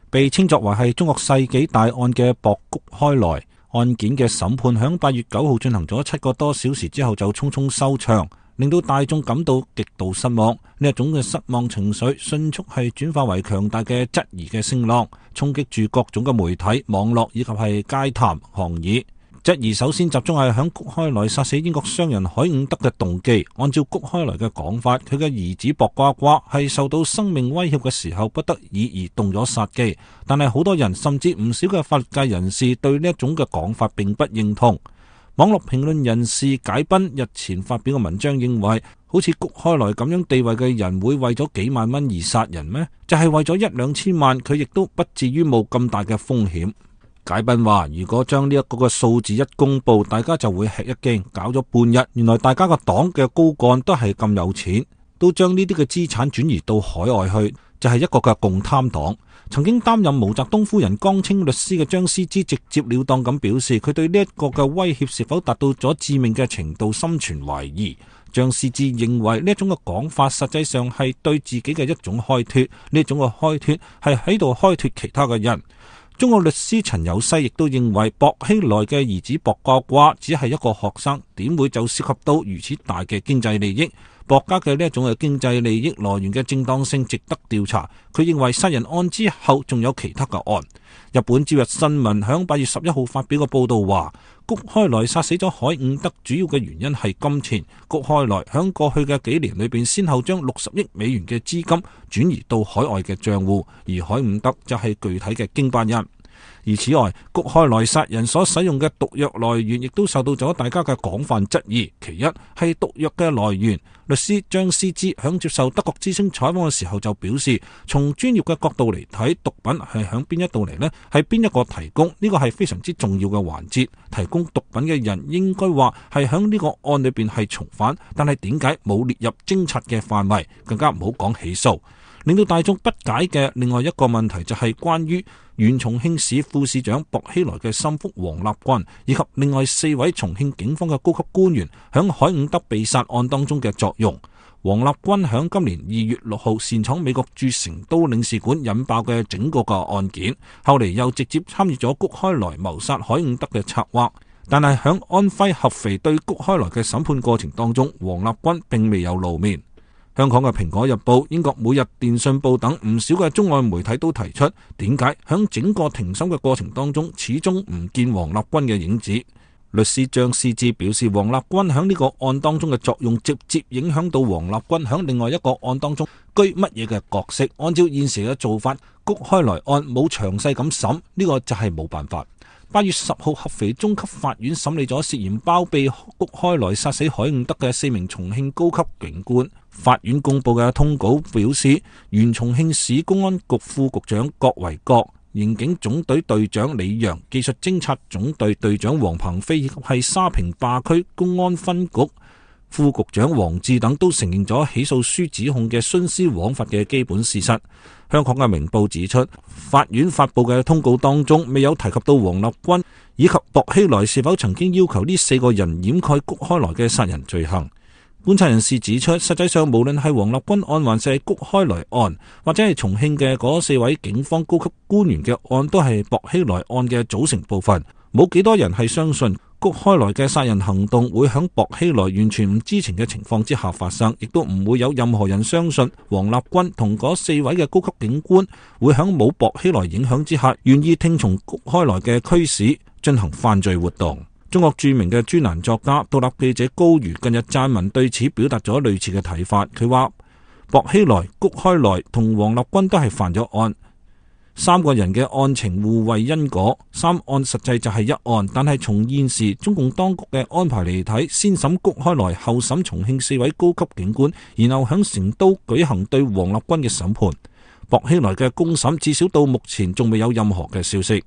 被稱作為係中國世紀大案嘅博谷開來案件嘅審判，響8月9號進行咗7個多小時之後就匆匆收場，令到大眾感到極度失望。呢一種嘅失望情緒迅速係轉化為強大嘅質疑嘅聲浪，衝擊住各種嘅媒體、網絡以及係街談巷議。質疑首先集中係響谷開來殺死英國商人海伍德嘅動機。按照谷開來嘅講法，佢嘅兒子薄瓜瓜係受到生命威脅嘅時候不得已而動咗殺機。但係好多人甚至唔少嘅法律界人士對呢一種嘅講法並不認同。網絡評論人士解賓日前發表嘅文章認為，好似谷開來咁樣地位嘅人會為咗幾萬蚊而殺人咩？就係為咗1-2千萬，佢亦都不至於冒咁大嘅風險。解賓話，如果將呢一個嘅數字一公布，大家就會吃一驚。搞咗半日，原來大家個黨嘅高幹都係咁有錢，都將呢啲嘅資產轉移到海外去，就係一個嘅共貪黨。曾經擔任毛澤東夫人江青律師嘅張思之直接了當咁表示，佢對呢一個嘅威脅是否達到咗致命嘅程度心存懷疑。張思之認為呢一種嘅講法實際上係對自己嘅一種開脫，呢種嘅開脫係喺度開脫其他嘅人。中國律師陳有西亦都認為，薄熙來嘅兒子薄瓜瓜只係一個學生，點會就涉及到如此大嘅經濟利益？薄家嘅呢一種嘅經濟利益來源嘅正當性值得調查。佢認為殺人案之後仲有其他嘅案。日本朝日新聞響8月11號發表嘅報道話，谷開來殺死咗海伍德主要嘅原因係金錢。谷開來響過去嘅幾年裏邊，先後將60億美元嘅資金轉移到海外嘅賬戶，而海伍德就係具體嘅經辦人。而此外，谷開來殺人所使用嘅毒藥來源亦都受到咗大家嘅廣泛質疑。其一係毒藥嘅來源，律師張思之響接受德國之聲採訪嘅時候就表示，從專業嘅角度嚟睇，毒品係響邊一度嚟呢？係邊一個提供？呢個係非常之重要嘅環節。提供毒品嘅人應該話係響呢個案裏邊係從犯，但係點解冇列入偵察嘅範圍？更加唔好講起訴。令到大眾不解嘅另外一個問題就係關於原重慶市副市長薄熙來嘅心腹王立軍，以及另外4位重慶警方嘅高級官員響海伍德被殺案當中嘅作用。王立軍響今年2月6號擅闖美國駐成都領事館引爆嘅整個嘅案件，後嚟又直接參與咗谷開來謀殺海伍德嘅策劃。但係響安徽合肥對谷開來嘅審判過程當中，王立軍並未有露面。香港嘅蘋果日報、英國每日電訊報等唔少嘅中外媒體都提出，點解響整個庭審嘅過程當中始終唔見王立軍嘅影子？律師張思之表示，王立軍響呢個案當中嘅作用直接影響到王立軍響另外一個案當中居乜嘢嘅角色。按照現時嘅做法，谷開來案冇詳細咁審，呢個就係冇辦法。8月10號，合肥中級法院審理咗涉嫌包庇谷開來殺死海伍德嘅4名重慶高級警官。法院公布嘅通稿表示，原重慶市公安局副局長郭維國、刑警總隊隊長李陽、技術偵察總隊隊長黃鵬飛以及係沙坪壩區公安分局副局長黃志等都承認咗起訴書指控嘅徇私枉法嘅基本事實。香港嘅明報指出，法院發布嘅通告當中未有提及到王立軍以及薄熙來是否曾經要求呢4個人掩蓋谷開來嘅殺人罪行。觀察人士指出，實際上無論係王立軍案還是谷開來案，或者係重慶嘅嗰4位警方高級官員嘅案，都係薄熙來案嘅組成部分。冇幾多人係相信谷開來嘅殺人行動會響薄熙來完全唔知情嘅情況之下發生，亦都唔會有任何人相信王立軍同嗰4位嘅高級警官會響冇薄熙來影響之下，願意聽從谷開來嘅驅使進行犯罪活動。中國著名嘅專欄作家、獨立記者高瑜近日撰文對此表達咗類似嘅睇法。佢話薄熙來、谷開來同王立軍都係犯咗案，3個人嘅案情互為因果，3案實際就係一案。但係從現時中共當局嘅安排嚟睇，先審谷開來，後審重慶4位高級警官，然後響成都舉行對王立軍嘅審判。薄熙來嘅公審至少到目前仲未有任何嘅消息。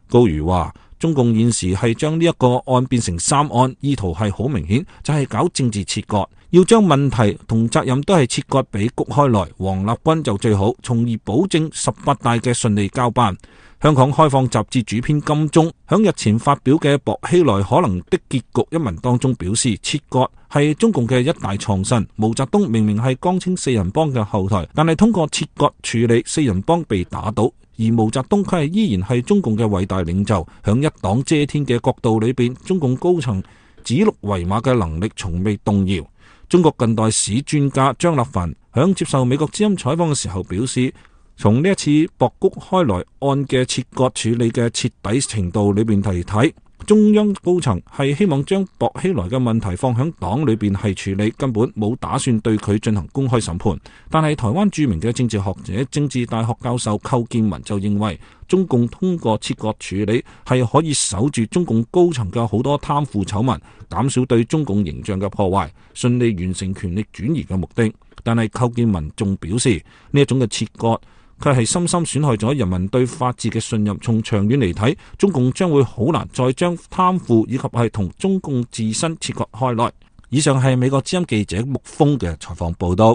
高瑜話，中共現時係將呢一個案變成3案，意圖係好明顯，就係搞政治切割，要將問題同責任都係切割俾谷開來，王立軍就最好，從而保證18大嘅順利交辦。香港開放雜誌主編金鐘響日前發表嘅薄熙來可能的結局一文當中表示，切割係中共嘅一大創新。毛澤東明明係江青4人幫嘅後台，但係通過切割處理4人幫被打倒，而毛澤東佢依然係中共嘅偉大領袖，響一黨遮天嘅國度裏邊，中共高層指鹿為馬嘅能力從未動搖。中國近代史專家張立凡響接受美國之音採訪嘅時候表示，從呢一次博谷開來案嘅切割處理嘅徹底程度裏邊嚟睇，中央高層係希望將薄熙來嘅問題放響黨裏邊係處理，根本冇打算對佢進行公開審判。但係台灣著名嘅政治學者、政治大學教授寇建文就認為，中共通過切割處理係可以守住中共高層嘅好多貪腐醜聞，減少對中共形象嘅破壞，順利完成權力轉移嘅目的。但係寇建文仲表示，呢一種嘅切割佢係深深損害咗人民對法治嘅信任。從長遠嚟睇，中共將會好難再將貪腐以及係同中共自身切割開來。以上係美國之音記者穆峰嘅採訪報道。